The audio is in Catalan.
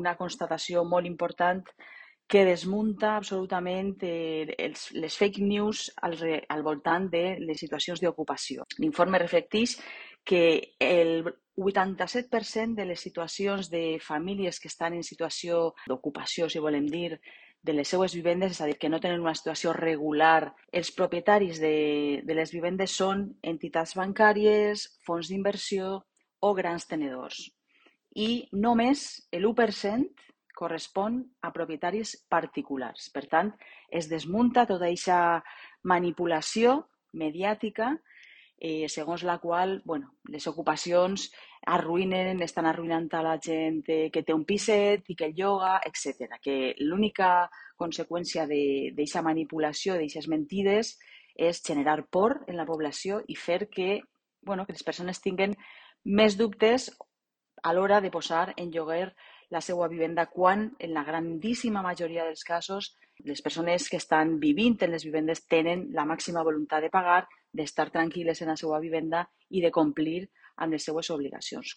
una constatació molt important que desmunta absolutament les fake news al voltant de les situacions d'ocupació. L'informe reflecteix que el 87% de les situacions de famílies que estan en situació d'ocupació, si volem dir, de les seues vivendes, és a dir, que no tenen una situació regular, els propietaris de les vivendes són entitats bancàries, fons d'inversió o grans tenedors. I només l'1% correspon a propietaris particulars. Per tant, es desmunta tota aquesta manipulació mediàtica segons la qual les ocupacions estan arruïnant a la gent que té un piset i que el lloga, etc. Que l'única conseqüència d'aquesta manipulació, d'aquestes mentides, és generar por en la població i fer que les persones tinguin més dubtes a l'hora de posar en lloguer la seva vivenda, quan en la grandíssima majoria dels casos les persones que estan vivint en les vivendes tenen la màxima voluntat de pagar, d'estar tranquil·les en la seva vivenda i de complir amb les seues obligacions.